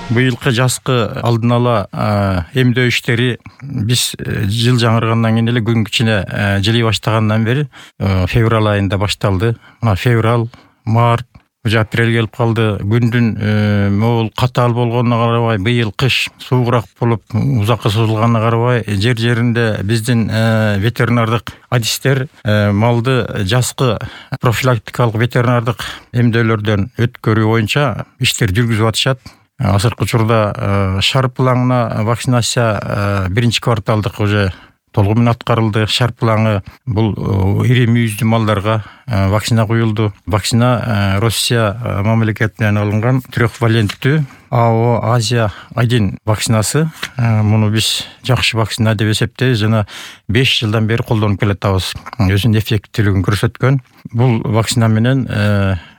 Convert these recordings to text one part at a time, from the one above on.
Быйылкы жазкы алдын ала эмдөө иштери биз жыл жаңыргандан кийин эле күн кичине жылый баштагандан бери февраль айында башталды. Мына февраль, март, уже апрель келип калды. Күндүн могул катаал болгонуна карабай, быйыл кыш суугураак болуп узакка созулганына карабай, жер-жеринде биздин ветеринардык адистер малды жазкы профилактикалык ветеринардык эмдөөлөрдөн өткөрүү боюнча иштер жүргүзүп атышат. Азыркы учурда шарпылаңына вакцинация биринчи кварталдык уже толугу менен аткарылды. Шарпылаңы бул ири мүйүздүү малдарга вакцина куюлду. Вакцина Россия мамлекетинен алынган трехваленттүү АО Азия 1 вакцинасы. Муну биз жакшы вакцина деп эсептейбиз. Жана 5 жылдан бери колдонуп келатабыз. Өзүнүн эффектилигин көрсөткөн. Бул вакцина менен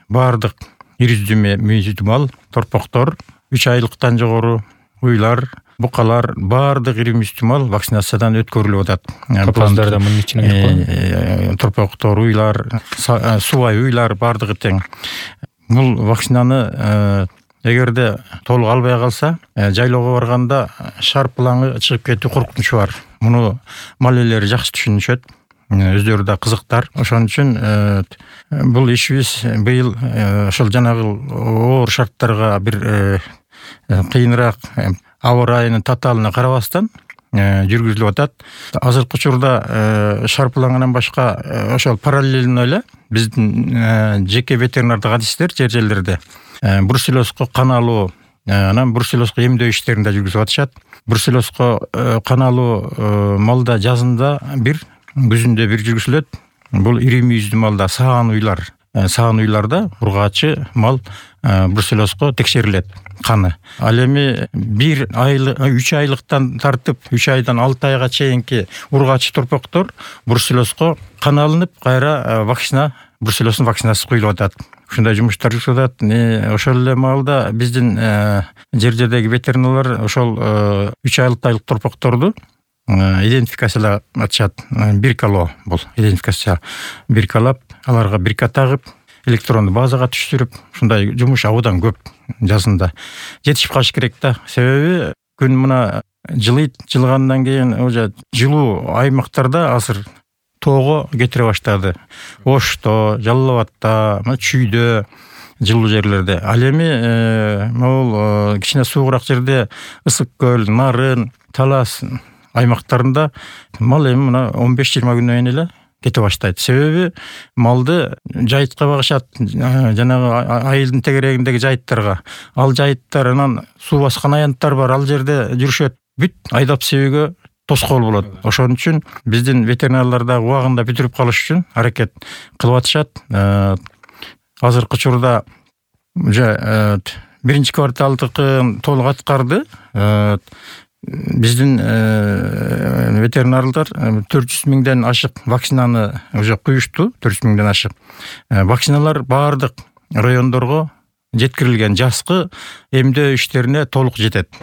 баардык ири мүйүздүү мал, торпоктор, 3 айлыктан жогору уйлар, букалар, баардык ири мүйүздүү мал вакцинациядан өткөрүлүп атат. Капандар да мунун ичине кирет. Торпоктор, уйлар, субай уйлар баардыгы тең. Бул вакцинаны эгерде толук албай калса, жайлоого барганда шарпылаңы чыгып кетүү коркунучу бар. Муну мал ээлери жакшы түшүнүшөт. Өздөрү да кызыктар. Ошон үчүн бул ишибиз быйыл ошол жанагы оор шарттарга бир кыйыныраак аба ырайынын татаалына карабастан жүргүзүлүп атат. Азыркы учурда шарпылаңынан башка ошол параллельно эле биздин жеке ветеринардык адистер жер-жерлерде бруцеллезго кан алуу, анан бруцеллезго эмдөө иштерин да жүргүзүп атышат. Бруцеллезго кан алуу малда жазында бир, күзүндө бир жүргүзүлөт. Бул ири мүйүздүү малда саан уйларда ургаачы мал бруцеллезго текшерилет каны. Ал эми 3 айлыктан тартып 3 айдан 6 айга чейинки ургаачы торпоктор бруцеллезго кан алынып, кайра бруцеллездин вакцинасы куюлуп атат. Ушундай жумуштар жүрүп атат. Ошол эле маалда биздин жер-жердеги ветеринарлар ошол 3 айлык торпокторду идентификациялап атышат. Биркалоо бул идентификация. Биркалап, аларга бирка тагып, электрондуу базага түштүрүп, ушундай жумуш абдан көп жазында. Жетишип калыш керек да. Себеби күн мына жылгандан кийин уже жылуу аймактарда азыр тоого кетире баштады. Ошто, Жалал абадта, Чүйдө, жылуу жерлерде. Ал эми могул кичине суугураак жерде Ысык көл, Нарын, Талас аймактарында мал эми мына 15-20 күндөн кийин эле кете баштайт. Себеби малды жайытка багышат, жанагы айылдын тегерегиндеги жайыттарга. Ал жайыттар анан суу баскан аянттар бар, ал жерде жүрүшөт. Бүт айдап себүүгө тоскоол болот. Ошон үчүн биздин ветеринарлар да убагында бүтүрүп калыш үчүн аракет кылып атышат. Азыркы учурда уже биринчи кварталдыкын толук аткарды. Биздин ветеринарлар 400 миңден ашык вакцинаны уже куюшту, 400 миңден ашык. Вакциналар баардык райондорго жеткирилген, жазкы эмдөө иштерине толук жетет.